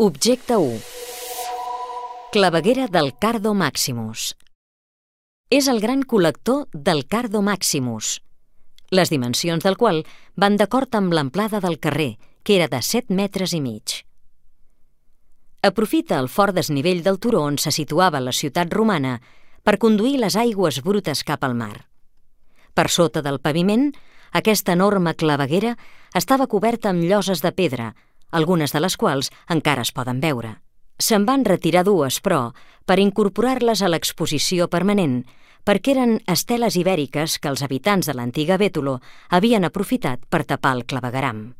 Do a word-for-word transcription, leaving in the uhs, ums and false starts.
Objecte u. Claveguera del Cardo Maximus. És el gran col·lector del Cardo Maximus, les dimensions del qual van d'acord amb l'amplada del carrer, que era de set metres i mig. Aprofita el fort desnivell del turó on se situava la ciutat romana per conduir les aigües brutes cap al mar. Per sota del paviment, aquesta enorme claveguera estava coberta amb lloses de pedra, algunes de les quals encara es poden veure. Se'n van retirar dues, però, per incorporar-les a l'exposició permanent, perquè eren esteles ibèriques que els habitants de l'antiga Bétolo havien aprofitat per tapar el clavegueram.